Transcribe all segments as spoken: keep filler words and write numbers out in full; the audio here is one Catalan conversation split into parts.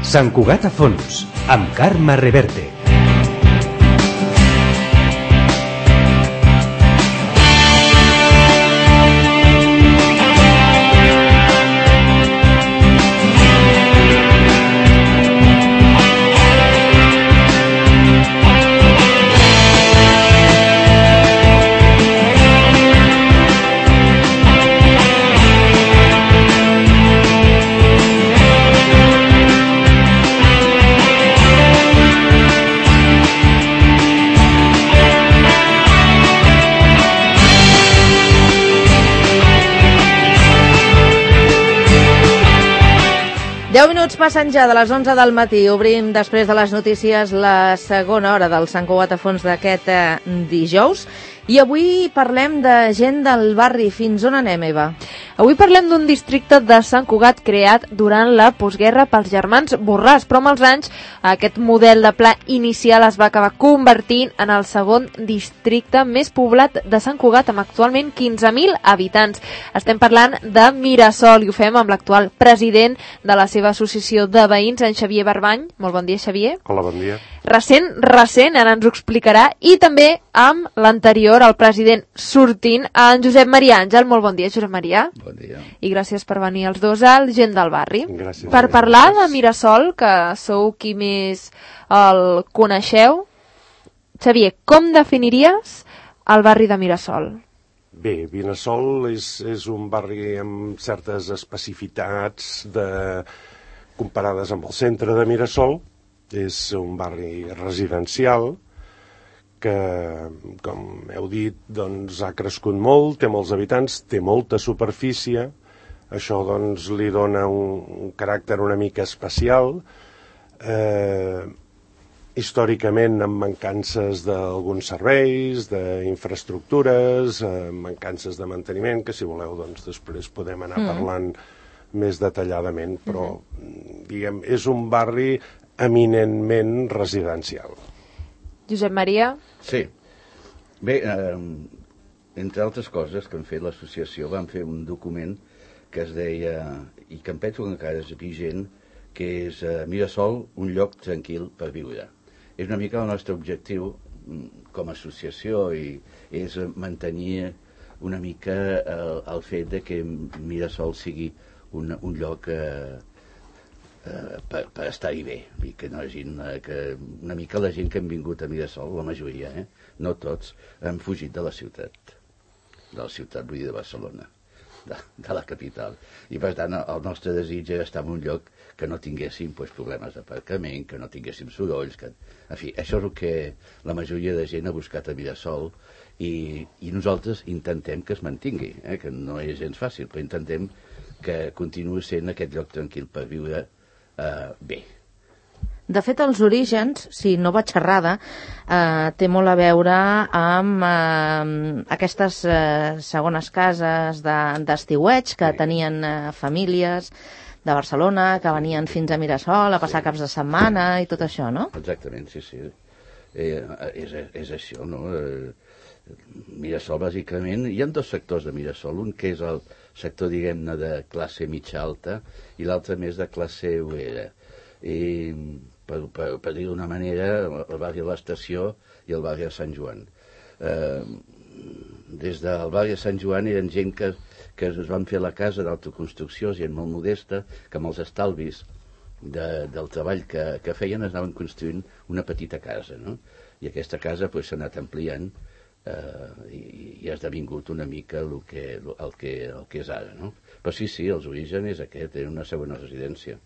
Sant Cugat a fons, amb Carme Reverte. deu minuts passen ja de les onze del matí. Obrim després de les notícies la segona hora del Sant Cugat a fons d'aquest eh, dijous. I avui parlem de gent del barri. Fins on anem, Eva? Avui parlem d'un districte de Sant Cugat creat durant la postguerra pels germans Borràs, però amb els anys aquest model de pla inicial es va acabar convertint en el segon districte més poblat de Sant Cugat, amb actualment quinze mil habitants. Estem parlant de Mirasol i ho fem amb l'actual president de la seva associació de veïns, en Xavier Barbany. Molt bon dia, Xavier. Hola, bon dia. Recent, recent, ara ens ho explicarà, i també amb l'anterior, el president sortint, en Josep Maria Àngel. Molt bon dia, Josep Maria. Bon dia. I gràcies per venir els dos al Gent del Barri. Gràcies. Per parlar de Mirasol, que sou qui més el coneixeu. Xavier, com definiries el barri de Mirasol? Bé, Mirasol és, és un barri amb certes especificitats de, comparades amb el centre de Mirasol. És un barri residencial que, com heu dit, doncs, ha crescut molt, té molts habitants, té molta superfície. Això doncs, li dona un, un caràcter una mica especial. Eh, històricament amb mancances d'alguns serveis, d'infraestructures, eh, mancances de manteniment, que si voleu doncs, després podem anar mm. parlant més detalladament, però mm-hmm. diguem, és un barri eminentment residencial. Josep Maria? Sí. Bé, eh, entre altres coses que han fet l'associació, van fer un document que es deia, i que em penso que encara és vigent, que és eh, Mirasol, un lloc tranquil per viure. És una mica el nostre objectiu com a associació i és mantenir una mica el, el fet de que Mirasol sigui un, un lloc eh, eh, per, per estar-hi bé. I que no hagin, eh, que una mica la gent que han vingut a Mirasol, la majoria, eh, no tots, han fugit de la ciutat. De la ciutat, vull dir, de Barcelona. De, de la capital. I per tant el nostre desig era estar en un lloc que no tinguéssim pues, problemes d'aparcament, que no tinguéssim sorolls, que... en fi, això és el que la majoria de gent ha buscat a Mirasol i, i nosaltres intentem que es mantingui, eh? Que no és gens fàcil, però intentem que continuï sent aquest lloc tranquil per viure eh, bé. De fet, els orígens, si no vaig errada, eh, té molt a veure amb eh, aquestes eh, segones cases d'estiueig que sí. tenien eh, famílies de Barcelona, que venien fins a Mirasol a passar sí. caps de setmana i tot això, no? Exactament, sí, sí. Eh, és, és això, no? Eh, Mirasol, bàsicament, hi ha dos sectors de Mirasol, un que és el sector, diguem-ne, de classe mitja alta i l'altre més de classe obrera. I... per, per, per dir d'una manera, el barri de l'Estació i el barri de Sant Joan. Eh, des del barri de Sant Joan eren gent que, que es van fer la casa d'autoconstrucció, gent molt modesta, que amb els estalvis de, del treball que, que feien es anaven construint una petita casa, no? I aquesta casa pues, s'ha anat ampliant eh, i, i ha esdevingut una mica el que, el, que, el que és ara, no? Però sí, sí, els orígens és aquest, era una segona residència.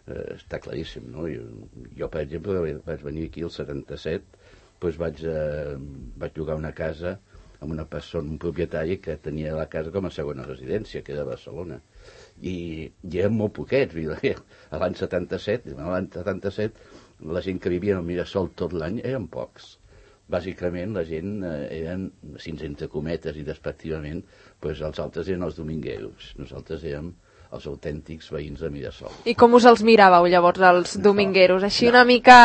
Uh, està claríssim, no? Jo, jo, per exemple, vaig venir aquí el setanta-set, doncs vaig, uh, vaig llogar una casa amb una persona, un propietari que tenia la casa com a segona residència, que era a Barcelona. I, i eren molt poquets. L'any setanta-set, l'any setanta-set, la gent que vivia al Mirasol tot l'any eren pocs. Bàsicament, la gent eh, eren, si entre cometes i despectivament, doncs els altres eren els domingueros. Nosaltres érem els autèntics veïns de Mirasol. I com us els miràveu llavors, els domingueros? Així no, una mica...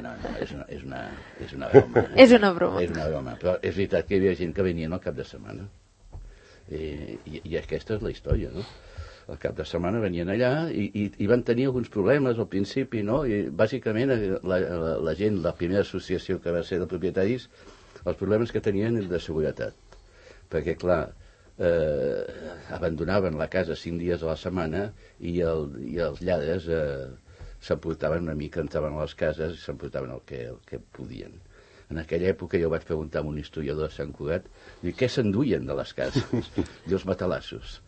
No, no, no, és una, és una, és una broma. És una broma. És una broma, però és veritat que hi havia gent que venien al cap de setmana. I, i, i aquesta és la història, no? al cap de setmana venien allà i, i, i van tenir alguns problemes al principi, no? I bàsicament la, la, la gent, la primera associació que va ser de propietaris, els problemes que tenien eren de seguretat. Perquè, clar, eh, abandonaven la casa cinc dies a la setmana i, el, i els lladres eh, s'emportaven una mica, entraven a les cases i s'emportaven el que, el que podien. En aquella època jo vaig preguntar a un historiador de Sant Cugat, dic, què s'enduien de les cases? I els matalassos.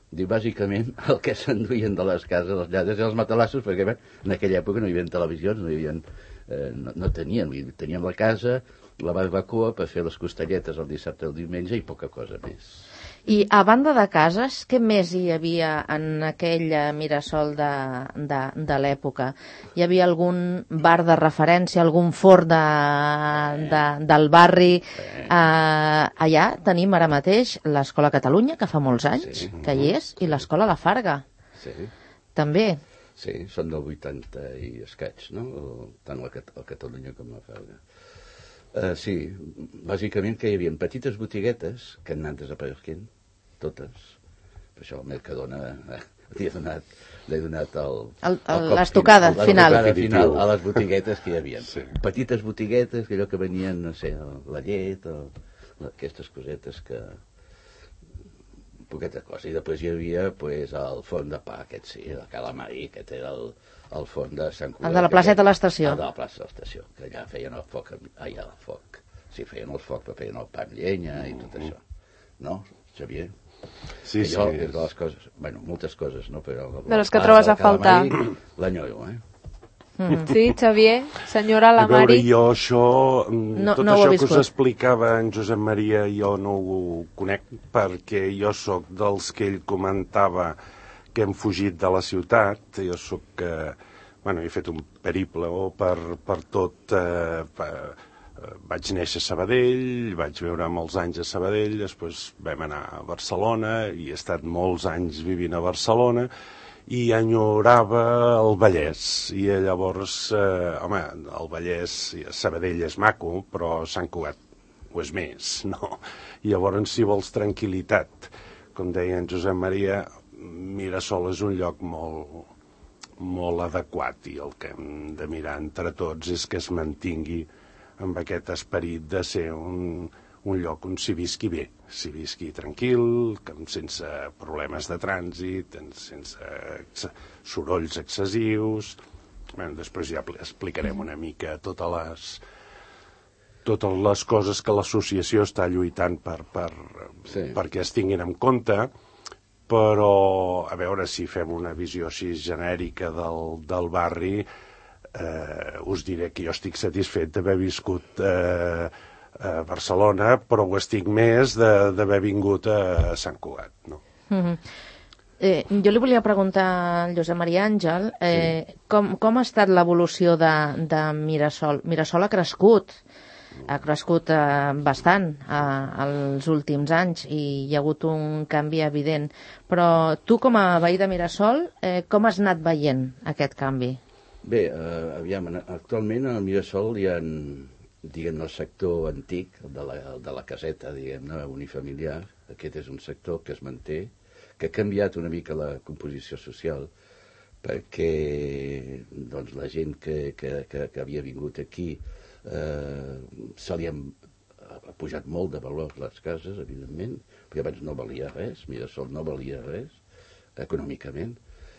Diu, bàsicament, el que s'enduien de les cases dels lladres eren els matalassos, perquè bé, en aquella època no hi havia televisions, no, hi havia, eh, no, no tenien, tenien la casa, la barbacoa per fer les costelletes el dissabte o el diumenge i poca cosa més. I a banda de cases, què més hi havia en aquell Mirasol de, de, de l'època? Hi havia algun bar de referència, algun forn de, de, del barri? Eh, allà tenim ara mateix l'Escola Catalunya, que fa molts anys sí. que hi és, i l'Escola La Farga. Sí. També. Sí, són del vuitanta i escaig, no? Tant la, la Catalunya com la Farga. Uh, sí, bàsicament que hi havia petites botiguetes que han anat desapareixent, totes. Per això el Mercadona eh, li he donat, l'he donat el, el, el, l'estocada final. L'estocada final a les botiguetes que hi havia. Sí. Petites botiguetes, que allò que venien, no sé, la llet, el, aquestes cosetes que... poqueta cosa. I després hi havia pues, el forn de pa, aquest sí, el calamari, aquest era el, el forn de Sant Cugat. El de la placeta de l'estació. El de la plaça de l'estació, que allà feien el foc, allà el foc. Sí, feien el foc, però feien el pa amb llenya i tot això. No, Xavier? Sí, allò sí. és de les coses, bueno, moltes coses, no? Però de les que trobes a faltar. L'enyoro, eh? Mm. Sí, Xavier, senyora la a veure, Mari. jo això, no, tot no això que viscut. us explicava en Josep Maria, jo no ho conec perquè jo sóc dels que ell comentava que hem fugit de la ciutat. Jo sóc que, bueno, he fet un periple oh, per, per tot... Eh, per, vaig néixer a Sabadell, vaig viure molts anys a Sabadell, després vam anar a Barcelona i he estat molts anys vivint a Barcelona i enyorava el Vallès. I llavors, eh, home, el Vallès, Sabadell és maco, però Sant Cugat ho és més, no? I llavors, si vols tranquil·litat, com deia en Josep Maria, Mirasol és un lloc molt, molt adequat i el que hem de mirar entre tots és que es mantingui amb aquest esperit de ser un, un lloc on s'hi visqui bé, s'hi visqui tranquil, sense problemes de trànsit, sense ex sorolls excessius. Bé, després ja explicarem una mica totes les, totes les coses que l'associació està lluitant per, per, sí. perquè es tinguin en compte, però a veure si fem una visió així genèrica del, del barri. Eh, us diré que jo estic satisfet d'haver viscut eh, a Barcelona, però ho estic més d'haver vingut a Sant Cugat, no? Mm-hmm. eh, jo li volia preguntar al Josep Maria Àngel eh, sí. com, com ha estat l'evolució de, de Mirasol. Mirasol ha crescut, ha crescut eh, bastant eh, els últims anys i hi ha hagut un canvi evident, però tu com a veí de Mirasol, eh, com has anat veient aquest canvi? Bé, eh, aviam, actualment a Mirasol hi ha, diguem, el sector antic de la, de la caseta, diguem-ne, unifamiliar. Aquest és un sector que es manté, que ha canviat una mica la composició social, perquè doncs, la gent que, que, que, que havia vingut aquí eh, se li han ha pujat molt de valor les cases, evidentment, perquè abans no valia res, Mirasol no valia res, econòmicament,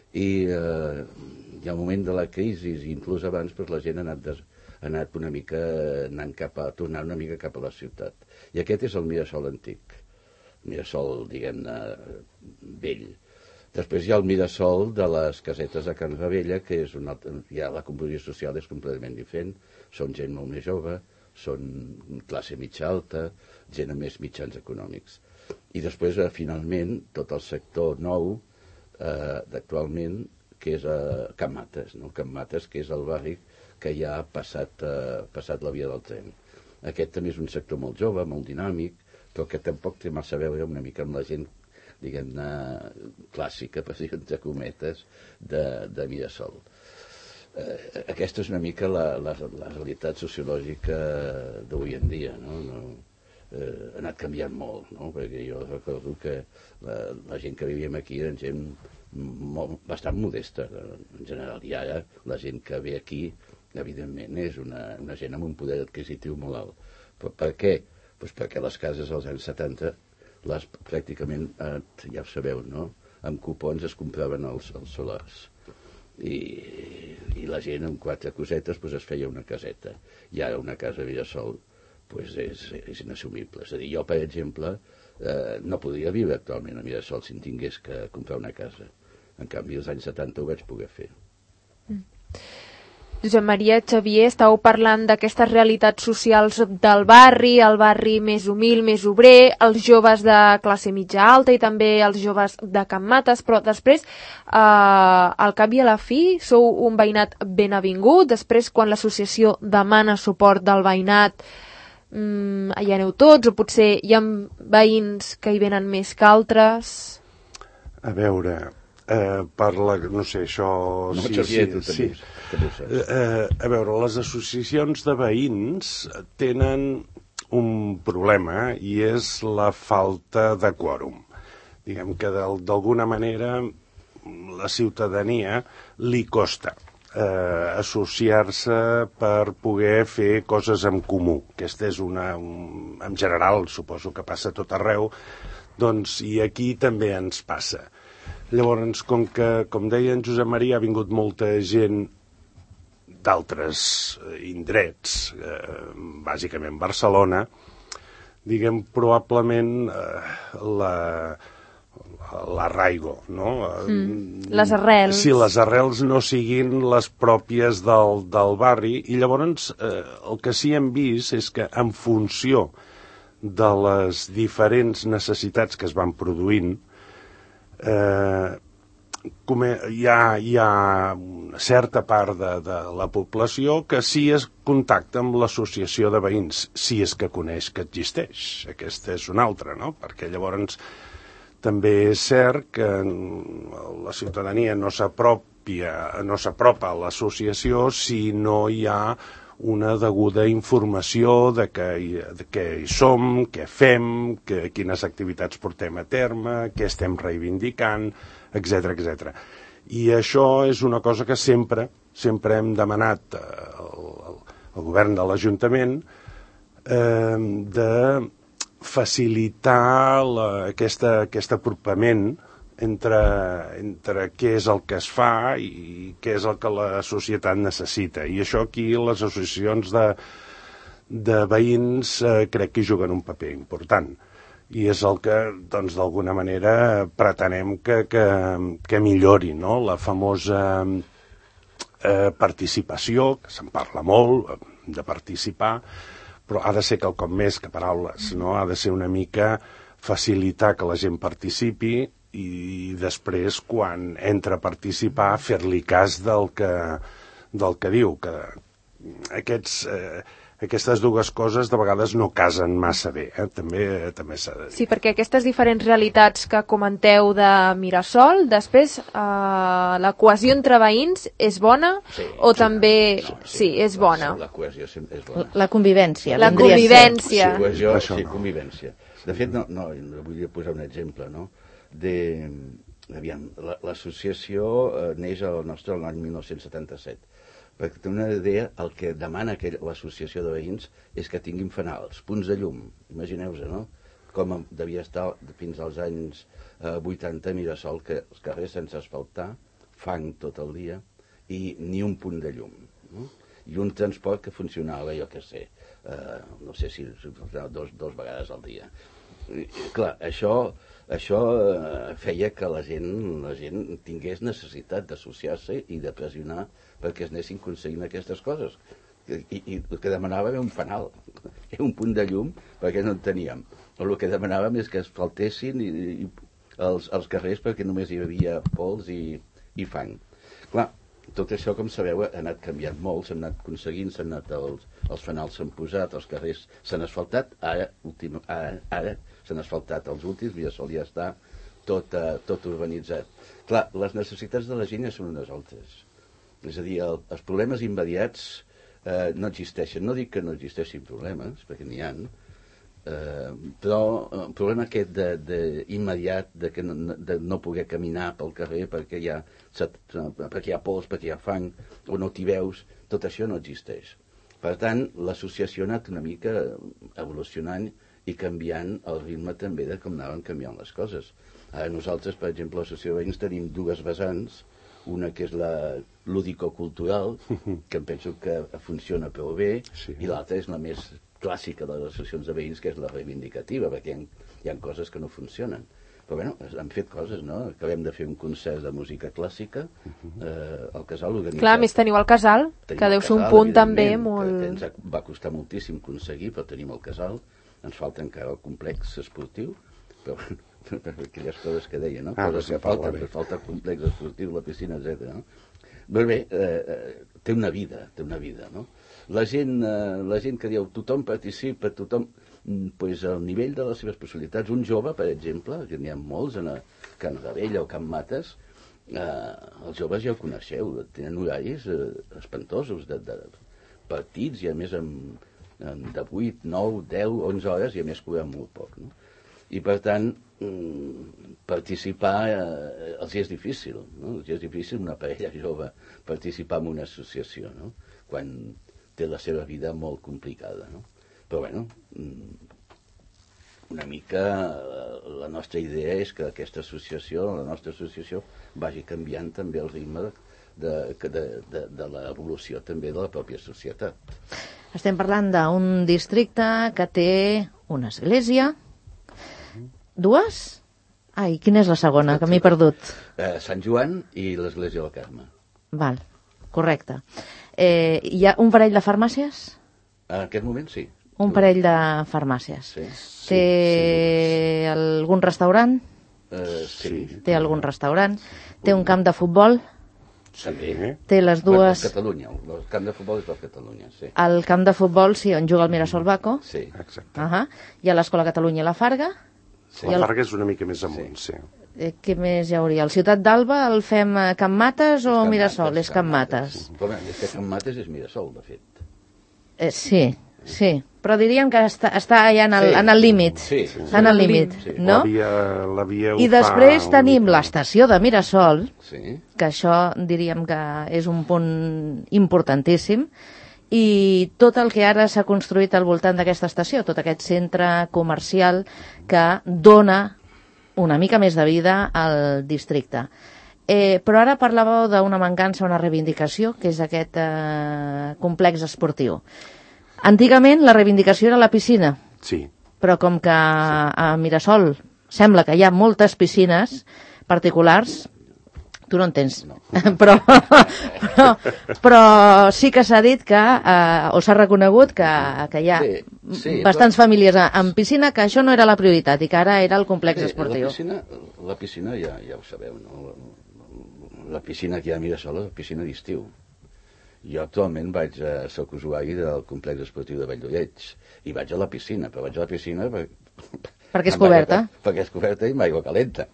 i eh, hi ha un moment de la crisi, inclús abans, doncs la gent ha anat, des, ha anat una mica anant cap a, tornant una mica cap a la ciutat. I aquest és el Mirasol antic, Mirasol, diguem-ne, vell. Després hi ha el Mirasol de les casetes de Can Ravella, que és una altra, ja la composició social és completament diferent, són gent molt més jove, són classe mitja alta, gent amb més mitjans econòmics. I després, eh, finalment, tot el sector nou, Uh, d'actualment, que és a Can Mates, no? Can Mates, que és el barri que ja ha passat, uh, passat la via del tren. Aquest també és un sector molt jove, molt dinàmic, però que tampoc té massa a veure una mica amb la gent, diguem-ne, clàssica, per dir entre cometes, de, de Mirasol. Uh, aquesta és una mica la, la, la realitat sociològica d'avui en dia, no? no Eh, ha anat canviant molt, no? Perquè jo recordo que la, la gent que vivíem aquí eren gent molt, bastant modesta, en general. I ara la gent que ve aquí, evidentment, és una, una gent amb un poder adquisitiu molt alt. Però per què? Pues perquè les cases als anys setanta, les, pràcticament, eh, ja ho sabeu, no? Amb cupons es compraven els, els solars. I, i la gent amb quatre cosetes pues, es feia una caseta. I ara una casa a Mirasol pues, és, és inassumible. És a dir, jo, per exemple, eh, no podria viure actualment a Mirasol si en tingués que comprar una casa. En canvi, als anys setanta ho vaig poder fer. Mm. Josep Maria, Xavier, estàu parlant d'aquestes realitats socials del barri, el barri més humil, més obrer, els joves de classe mitja alta i també els joves de Can Mates, però després, eh, al cap i a la fi, sou un veïnat ben avingut, després quan l'associació demana suport del veïnat, mm, hi aneu tots, o potser hi ha veïns que hi venen més que altres? A veure, eh, per la... no sé, això... No, sí, Xavier, sí, tu sí. també, també ho saps. Eh, a veure, les associacions de veïns tenen un problema i és la falta de quòrum. Diguem que d'alguna manera la ciutadania li costa eh, associar-se per poder fer coses en comú. Aquesta és una... Un, en general, suposo que passa a tot arreu, doncs, i aquí també ens passa. Llavors, com que, com deia en Josep Maria, ha vingut molta gent d'altres indrets, eh, bàsicament Barcelona, diguem, probablement eh, la... l'arraigo, no? Mm, les arrels. Si les arrels no siguin les pròpies del, del barri, i llavors eh, el que sí hem vist és que en funció de les diferents necessitats que es van produint, eh, com hi ha, hi ha una certa part de, de la població que sí es contacta amb l'associació de veïns, si és que coneix que existeix. Aquesta és una altra, no? Perquè llavors també és cert que la ciutadania no s'apropia, no s'apropa a l'associació si no hi ha una deguda informació de què, de què hi som, què fem, que, quines activitats portem a terme, què estem reivindicant, etcètera, etcètera. I això és una cosa que sempre, sempre hem demanat al, al govern de l'Ajuntament eh, de facilitar la, aquesta, aquest apropament entre, entre què és el que es fa i què és el que la societat necessita. I això aquí les associacions de, de veïns eh, crec que hi juguen un paper important. I és el que, doncs, d'alguna manera pretenem que, que, que millori, no? La famosa eh, participació, que se'n parla molt, de participar, però ha de ser quelcom més que paraules, no? Ha de ser una mica facilitar que la gent participi i després, quan entra a participar, fer-li cas del que, del que diu, que aquests, eh, aquestes dues coses de vegades no casen massa bé, eh? també, també s'ha de dir. Sí, perquè aquestes diferents realitats que comenteu de Mirasol, després eh, la cohesió entre veïns és bona sí, o sí, també... sí, sí, sí, és la, bona. La cohesió és bona. La convivència. La vindria a ser. convivència. Sí, cohesió, Això sí, no. convivència. De fet, no, no, vull posar un exemple, no? De, aviam, l'associació eh, neix al nostre l'any mil nou-cents setanta-set. Perquè té una idea, el que demana l'associació de veïns és que tinguin fanals, punts de llum. Imagineu-vos, no? Com devia estar fins als anys eh, vuitanta a Mirasol, que els carrers sense asfaltar, fang tot el dia i ni un punt de llum. No? I un transport que funcionava, jo què sé, eh, no sé si dos, dos vegades al dia. I, clar, això, això eh, feia que la gent, la gent tingués necessitat d'associar-se i de pressionar perquè es anessin aconseguint aquestes coses. I, i el que demanàvem era un fanal, era un punt de llum perquè no en teníem. O el que demanàvem és que es faltessin i, i els, els carrers perquè només hi havia pols i, i fang. Clar, tot això, com sabeu, ha anat canviant molt, s'han anat aconseguint, s'han anat els, els fanals s'han posat, els carrers s'han asfaltat, ara, últim, ara, ara s'han asfaltat els últims, Mirasol ja està tot, uh, tot urbanitzat. Clar, les necessitats de la gent ja són unes altres. És a dir, el, els problemes immediats eh, no existeixen. No dic que no existeixin problemes, perquè n'hi ha, Uh, però el problema aquest de, de immediat de, que no, de no poder caminar pel carrer perquè hi ha, perquè hi ha pols, perquè hi ha fang o no t'hi veus, tot això no existeix. Per tant, l'associació ha anat una mica evolucionant i canviant el ritme també de com anaven canviant les coses. Ara nosaltres, per exemple, a l'Associació de Veïns tenim dues vessants, una que és la lúdico-cultural, que em penso que funciona prou bé, sí. I l'altra és la més clàssica de les associacions de veïns, que és la reivindicativa, perquè hi ha, hi ha coses que no funcionen. Però bueno, han fet coses, no? Acabem de fer un concert de música clàssica, eh, al Casal organitzat. Clar, a més teniu el Casal, tenim que deu ser un punt també molt... Que ens va costar moltíssim aconseguir, però tenim el Casal, ens falta encara el complex esportiu, però per aquelles coses que deia, no? Ah, coses que falten, que falta el complex esportiu, la piscina, etcètera. No? Però bé, eh, té una vida, té una vida, no? La gent, eh, la gent que diu tothom participa, tothom, pues, al nivell de les seves possibilitats. Un jove, per exemple, que n'hi ha molts a Can Gavella o Can Mates, eh, els joves ja ho coneixeu, tenen horaris eh, espantosos de, de partits i a més amb, amb de vuit, nou, deu, onze hores i a més cobren molt poc, no? I per tant, participar eh, els és difícil, no? Els és difícil una parella jove participar en una associació, no? Quan té la seva vida molt complicada, no? Però bueno, una mica la nostra idea és que aquesta associació, la nostra associació, vagi canviant també el ritme de, de, de, de l'evolució també de la pròpia societat. Estem parlant d'un districte que té una església, dues? Ai, quina és la segona, que m'he perdut? Eh, Sant Joan i l'església del Carme. Val, correcte. Eh, hi ha un parell de farmàcies? En aquest moment sí. Un parell de farmàcies. Sí. Té sí, algun restaurant? Uh, sí. Té algun restaurant? Té un camp de futbol? També. Té les dues... El Catalunya, el camp de futbol és del Catalunya, sí. El camp de futbol, sí, on juga el Mirasol Baco. Sí. Exacte. Uh -huh. Hi ha l'Escola Catalunya i la Farga. Sí. La Farga és una mica més amunt, sí. sí. Eh, què més hi hauria? El Ciutat d'Alba el fem a Can Mates o Can Mirasol? Mates, és Can Mates. Sí. Però bé, és que Can Mates és Mirasol, de fet. Eh, sí, sí. Però diríem que està, està allà en el, sí. en el límit. Sí, sí, sí. En el límit, sí. no? La via, la via I després tenim mica... l'estació de Mirasol, sí. que això diríem que és un punt importantíssim, i tot el que ara s'ha construït al voltant d'aquesta estació, tot aquest centre comercial que dona una mica més de vida al districte. Eh, però ara parlàveu d'una mancança, una reivindicació, que és aquest eh, complex esportiu. Antigament la reivindicació era la piscina, sí. però com que a Mirasol sembla que hi ha moltes piscines particulars, tu no en tens, no. però, però, però sí que s'ha dit que, eh, o s'ha reconegut que, que hi ha sí, sí, bastants però... famílies amb piscina, que això no era la prioritat i que ara era el complex sí, esportiu. La piscina, la piscina ja, ja ho sabeu, no? La piscina que hi ha a Mirasol és la piscina d'estiu. Jo actualment vaig a soc usuari del complex esportiu de Valldolleig i vaig a la piscina, però vaig a la piscina per, perquè és coberta. Aigua, perquè és coberta i amb aigua calenta.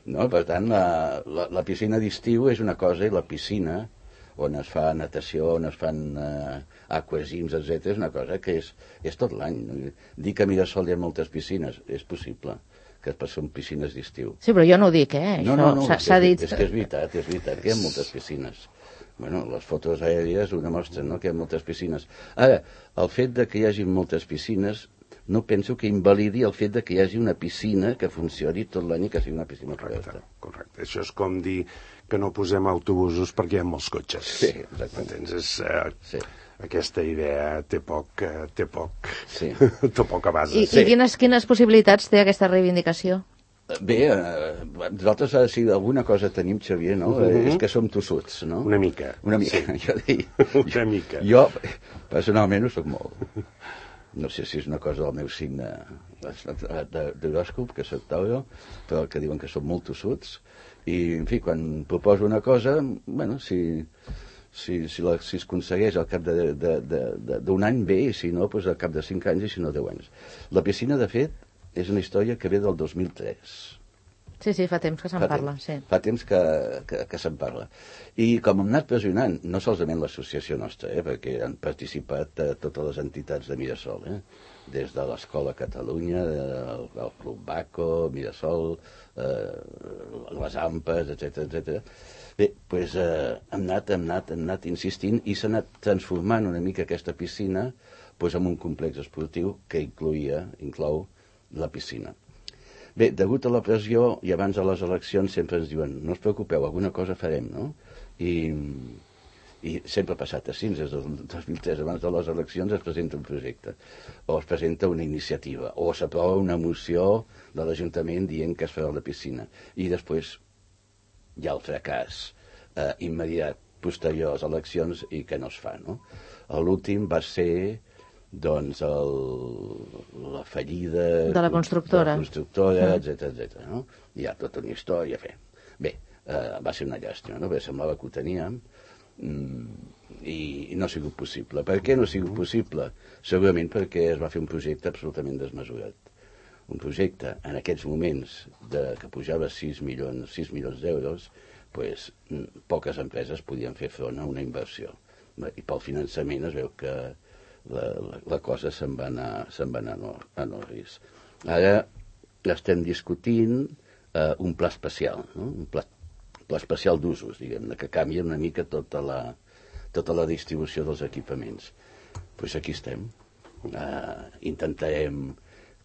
No? Per tant, la, la, la piscina d'estiu és una cosa i la piscina on es fa natació, on es fan uh, aquagins, etcètera, és una cosa que és, és tot l'any. No? Dir que a Mirasol hi ha moltes piscines, és possible, que són piscines d'estiu. Sí, però jo no ho dic, eh? No, no, no, s'ha dit... És que és veritat, és veritat, que hi ha moltes piscines. Bueno, les fotos aèries ho demostren, no?, que hi ha moltes piscines. Ara, el fet de que hi hagi moltes piscines no penso que invalidi el fet de que hi hagi una piscina que funcioni tot l'any i que sigui una piscina correcte, correcte. Això és com dir que no posem autobusos perquè hi ha molts cotxes. Sí, exactament. Entens? És, uh, sí. Aquesta idea té poc, uh, té poc, sí. té poca base. I, sí. i quines, quines possibilitats té aquesta reivindicació? Bé, eh, nosaltres, si alguna cosa tenim, Xavier, no? Uh -huh. És que som tossuts, no? Una mica. Una mica, sí. jo dic. Una jo, mica. Jo, personalment, ho soc molt. No sé si és una cosa del meu signe d'horòscop, que soc Tauro, però que diuen que som molt tossuts. I, en fi, quan proposo una cosa, bueno, si, si, si, la, si es aconsegueix al cap d'un any, bé, i si no, doncs al cap de cinc anys, i si no, deu anys. La piscina, de fet, és una història que ve del dos mil tres. Sí, sí, fa temps que se'n Fa parla, temps, sí. Fa temps que, que, que se'n parla. I com hem anat pressionant, no solament l'associació nostra, eh, perquè han participat eh, totes les entitats de Mirasol, eh, des de l'Escola Catalunya, el, el Club Baco, Mirasol, eh, les AMPAs, etcètera, etcètera. Bé, doncs eh, hem, anat, hem, anat, hem anat insistint i s'ha anat transformant una mica aquesta piscina doncs, en un complex esportiu que incloïa, inclou la piscina. Bé, degut a la pressió, i abans de les eleccions sempre ens diuen, no us preocupeu, alguna cosa farem, no? I, i sempre ha passat així, des del dos mil tres, abans de les eleccions es presenta un projecte, o es presenta una iniciativa, o s'aprova una moció de l'Ajuntament dient que es farà la piscina. I després hi ha el fracàs eh, immediat posterior a les eleccions i que no es fa, no? L'últim va ser doncs el, la fallida de la constructora, de la constructora, etcètera, etcètera, no? Hi ha tota una història a fer. Bé, eh, va ser una llàstima, no? Bé, semblava que ho teníem mm, i, i no ha sigut possible. Per què no ha sigut possible? Segurament perquè es va fer un projecte absolutament desmesurat. Un projecte en aquests moments de, que pujava sis milions, sis milions d'euros, pues, poques empreses podien fer front a una inversió. I pel finançament es veu que La, la, la cosa se'n va anar, se'n va anar a, no, a no risc. Ara estem discutint eh, un pla especial, no? Un pla, pla especial d'usos, diguem-ne, que canvia una mica tota la, tota la distribució dels equipaments. Doncs pues aquí estem. Eh, intentarem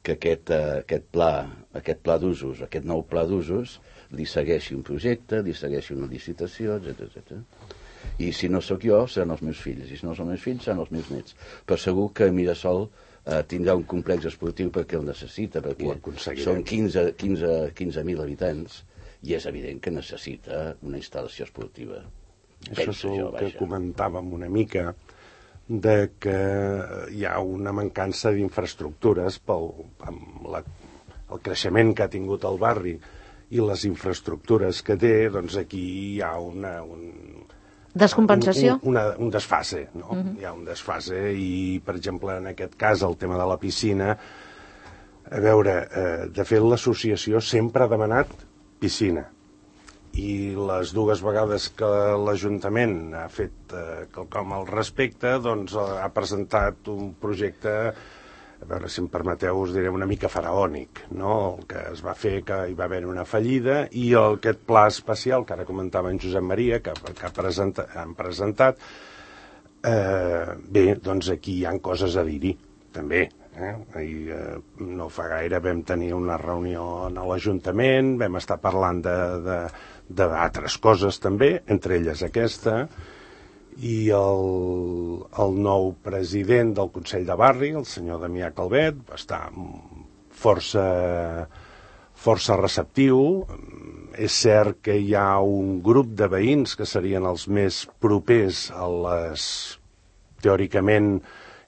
que aquest, eh, aquest pla, aquest pla d'usos, aquest nou pla d'usos, li segueixi un projecte, li segueixi una licitació, etcètera, etcètera. I si no sóc jo, seran els meus fills, i si no són els meus fills, seran els meus nets. Però segur que Mirasol eh, tindrà un complex esportiu perquè el necessita, perquè són quinze, quinze, quinze mil habitants, i és evident que necessita una instal·lació esportiva. Això és el que comentàvem una mica, de que hi ha una mancança d'infraestructures pel amb la, el creixement que ha tingut el barri i les infraestructures que té, doncs aquí hi ha una... Un, Descompensació? Un, una, un desfase, no? Uh-huh. Hi ha un desfase i, per exemple, en aquest cas, el tema de la piscina, a veure, eh, de fet, l'associació sempre ha demanat piscina. I les dues vegades que l'Ajuntament ha fet eh, quelcom al respecte, doncs ha presentat un projecte, a veure si em permeteu, us diré una mica faraònic, no? El que es va fer, que hi va haver una fallida, i el, aquest pla especial, que ara comentava en Josep Maria, que, que ha presenta, han presentat, eh, bé, doncs aquí hi ha coses a dir-hi, també. Eh? I, eh, no fa gaire vam tenir una reunió a l'Ajuntament, vam estar parlant de, de, d'altres coses també, entre elles aquesta, i el, el nou president del Consell de Barri, el senyor Damià Calvet, va estar força, força receptiu. És cert que hi ha un grup de veïns que serien els més propers a les, teòricament,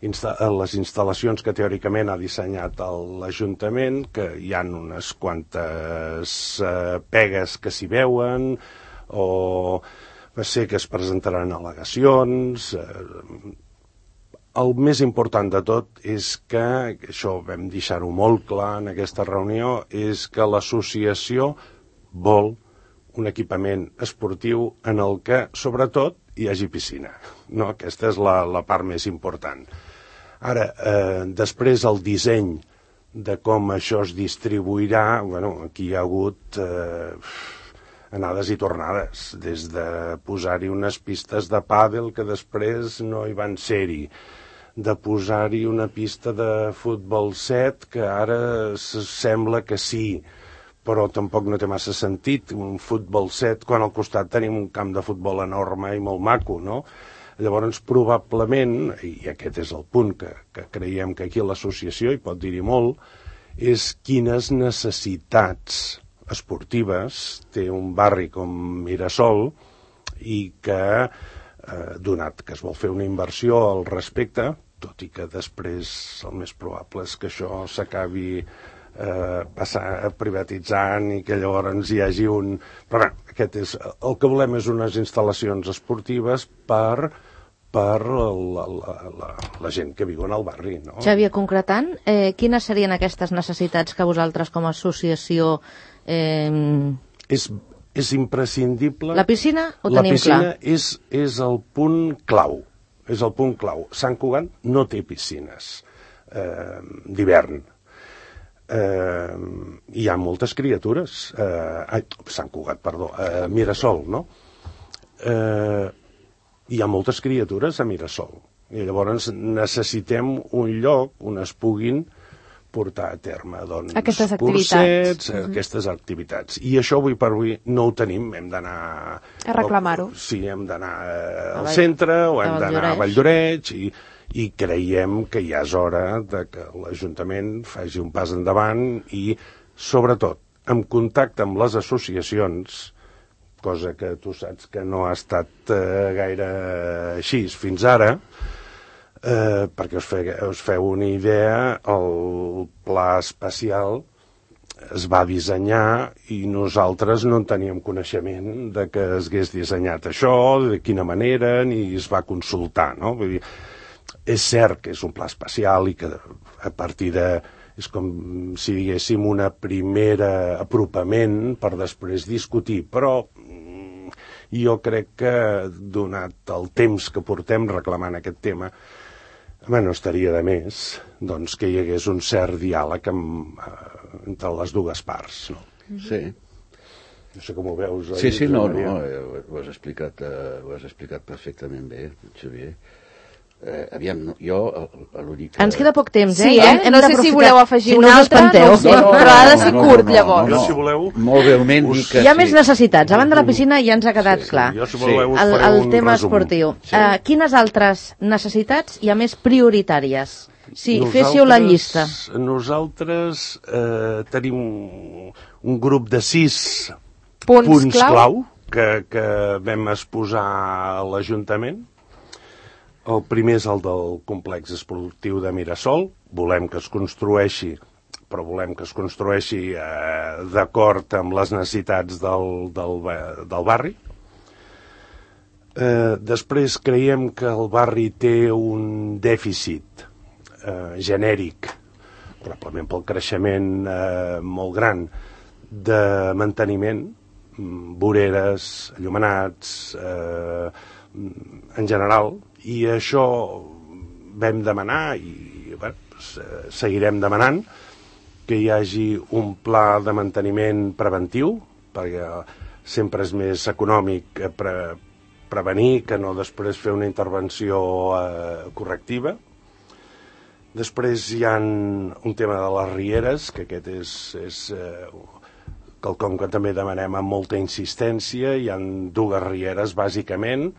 insta- a les instal·lacions que teòricament ha dissenyat l'Ajuntament, que hi ha unes quantes eh, pegues que s'hi veuen, o va ser que es presentaran al·legacions. El més important de tot és que, això vam deixar-ho molt clar en aquesta reunió, és que l'associació vol un equipament esportiu en el que, sobretot, hi hagi piscina. No? Aquesta és la, la part més important. Ara, eh, després el disseny de com això es distribuirà, bueno, aquí hi ha hagut... Eh, anades i tornades, des de posar-hi unes pistes de pàdel que després no hi van ser-hi, de posar-hi una pista de futbol set que ara sembla que sí, però tampoc no té massa sentit, un futbol set quan al costat tenim un camp de futbol enorme i molt maco, no? Llavors, probablement, i aquest és el punt que, que creiem que aquí l'associació hi pot dir-hi molt, és quines necessitats esportives té un barri com Mirasol i que, eh, donat que es vol fer una inversió al respecte, tot i que després el més probable és que això s'acabi eh, passar, privatitzant i que llavors hi hagi un... Però bé, aquest és, el que volem és unes instal·lacions esportives per, per la, la, la, la gent que viu en el barri, no? Xavier, concretant, eh, quines serien aquestes necessitats que vosaltres com a associació Eh, És, és imprescindible... la piscina ho La tenim piscina clar. és, és el punt clau. És el punt clau. Sant Cugat no té piscines eh, d'hivern. Eh, hi ha moltes criatures. Eh, ai, Sant Cugat, perdó. Eh, Mirasol, no? Eh, hi ha moltes criatures a Mirasol. I llavors necessitem un lloc on es puguin portar a terme doncs, Aquestes cursets, activitats. mm-hmm. aquestes activitats. I això avui per avui no ho tenim, hem d'anar... A reclamar-ho. Sí, hem d'anar eh, al Vall- centre o a hem d'anar a Valldoreix. Valldoreix i, i creiem que ja és hora de que l'Ajuntament faci un pas endavant i, sobretot, en contacte amb les associacions, cosa que tu saps que no ha estat eh, gaire així fins ara, Eh, perquè us, fe, us feu una idea, el pla especial es va dissenyar i nosaltres no en teníem coneixement de que es hagués dissenyat això, de quina manera, ni es va consultar, no? Vull dir, és cert que és un pla especial i que a partir de... és com si diguéssim una primera apropament per després discutir, però mm, jo crec que donat el temps que portem reclamant aquest tema, home, no estaria de més doncs, que hi hagués un cert diàleg amb, eh, entre les dues parts. No? Sí. No sé com ho veus. Sí, sí, no, Maria? no, eh, ho, ho has explicat, eh, ho has explicat perfectament bé, Xavier. Eh, aviam, no, jo eh, l'únic... Ens queda poc temps, eh? Sí, eh? Hem- hem No sé si d'aprofitar. voleu afegir si un no us altre, espanteu. no ho sé, però ha de ser curt, llavors. Jo, si voleu... Molt breument us- dic que Hi ha sí. més necessitats. Abans de la piscina ja ens ha quedat Sí, clar. Jo, si voleu, us El, faré el un tema resum. esportiu. Sí. Uh, quines altres necessitats hi ha més prioritàries? Si féssiu la llista. Nosaltres eh, tenim un, un grup de sis Punts, punts clau. clau que, que vam exposar a l'Ajuntament. El primer és el del complex esportiu de Mirasol. Volem que es construeixi, però volem que es construeixi eh, d'acord amb les necessitats del, del, ba- del barri. Eh, després creiem que el barri té un dèficit eh, genèric, probablement pel creixement eh, molt gran de manteniment, mm, voreres, enllumenats, eh, en general, i això vam demanar i bé, doncs, eh, seguirem demanant que hi hagi un pla de manteniment preventiu, perquè sempre és més econòmic eh, pre prevenir que no després fer una intervenció eh, correctiva. Després hi ha un tema de les rieres, que aquest és, és eh, quelcom que també demanem amb molta insistència. Hi ha dues rieres, bàsicament,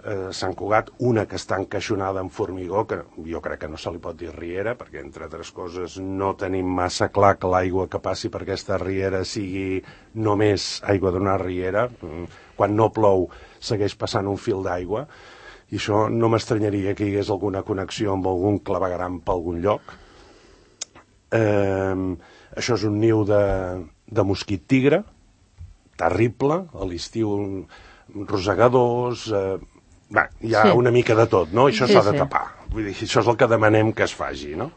eh, Sant Cugat, una que està encaixonada en formigó, que jo crec que no se li pot dir riera, perquè, entre altres coses, no tenim massa clar que l'aigua que passi per aquesta riera sigui només aigua d'una riera. Quan no plou segueix passant un fil d'aigua, i això no m'estranyaria que hi hagués alguna connexió amb algun clavegueram per algun lloc. Eh, això és un niu de, de mosquit tigre, terrible, a l'estiu rosegadors, eh, va, hi ha Sí. una mica de tot, no? Això Sí, s'ha de sí. tapar. Vull dir, això és el que demanem que es faci, no?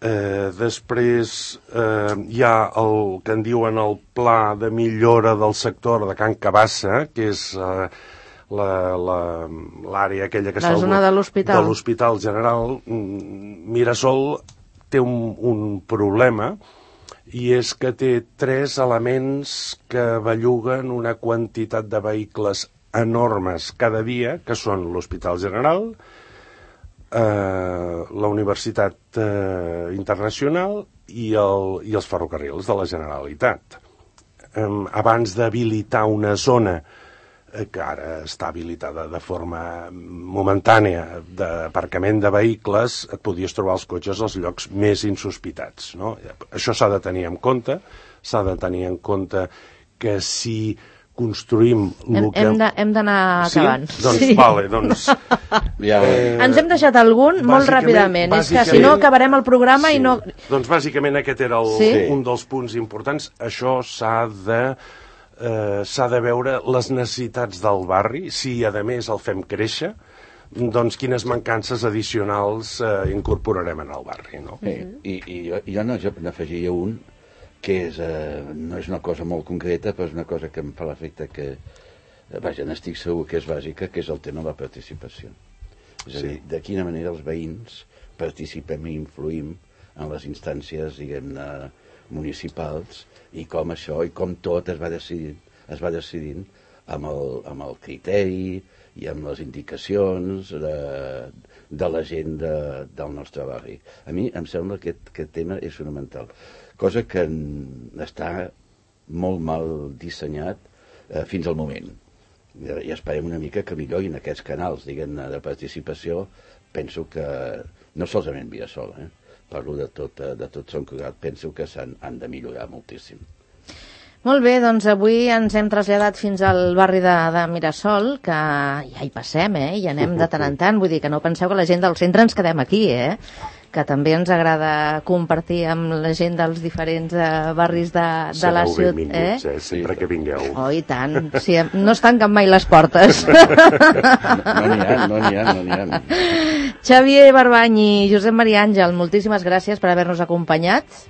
Eh, després eh, hi ha el que en diuen el pla de millora del sector de Can Cabassa, que és eh, l'àrea aquella que La està al- zona de l'hospital. de l'Hospital General. Mm, Mirasol té un, un problema, i és que té tres elements que belluguen una quantitat de vehicles enormes cada dia, que són l'Hospital General, eh, la Universitat eh, Internacional i, el, i els ferrocarrils de la Generalitat. Eh, abans d'habilitar una zona eh, que ara està habilitada de forma momentània d'aparcament de vehicles, et podies trobar els cotxes als llocs més insospitats, no? Això s'ha de tenir en compte, s'ha de tenir en compte que si construïm... Hem, lo que... hem de- hem d'anar Sí? acabant. Doncs Sí. vale, doncs... Ja, Eh, Ens hem deixat algun molt bàsicament- ràpidament. És que si bàsicament- no acabarem el programa sí. i no... Doncs bàsicament aquest era el, Sí. un dels punts importants. Això s'ha de, eh, s'ha de veure les necessitats del barri, si a més el fem créixer, doncs quines mancances addicionals eh, incorporarem en el barri, no? eh, i, i jo, jo no, jo n'afegiria un, que és, eh, no és una cosa molt concreta, però és una cosa que em fa l'efecte que, eh, vaja, n'estic segur que és bàsica, que és el tema de la participació. És a dir, de quina manera els veïns participem i influïm en les instàncies, diguem-ne, municipals, i com això, i com tot es va decidint, es va decidint amb el, amb el criteri i amb les indicacions de, de la gent de, del nostre barri. A mi em sembla que aquest, aquest tema és fonamental, cosa que està molt mal dissenyat eh, fins al moment. I esperem una mica que millorin aquests canals, diguem-ne, de participació. Penso que, no solament Mirasol, eh? Parlo de tot, de tot Sant Cugat, penso que s'han han de millorar moltíssim. Molt bé, doncs avui ens hem traslladat fins al barri de, de Mirasol, que ja hi passem, eh? I anem de tant en tant, vull dir que no penseu que la gent del centre ens quedem aquí, eh? Que també ens agrada compartir amb la gent dels diferents eh, barris de, de la ciutat. Minuts, eh? eh? Sempre que vingueu. Oh, i tant. Sí, no es tanquen mai les portes. No n'hi ha, no n'hi ha, no n'hi ha. Xavier Barbany i Josep Maria Àngel, moltíssimes gràcies per haver-nos acompanyat.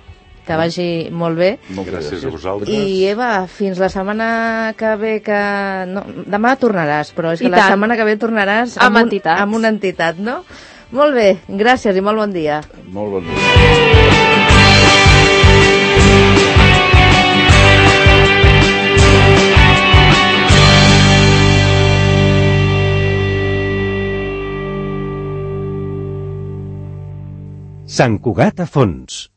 Que vagi molt bé. Moltes Gràcies a vosaltres. I Eva, fins la setmana que ve que... No, demà tornaràs, però és que I la tant. setmana que ve tornaràs Amb un, entitats. amb una entitat, no? Molt bé, gràcies i molt bon dia. Molt bon dia. Sant Cugat a fons.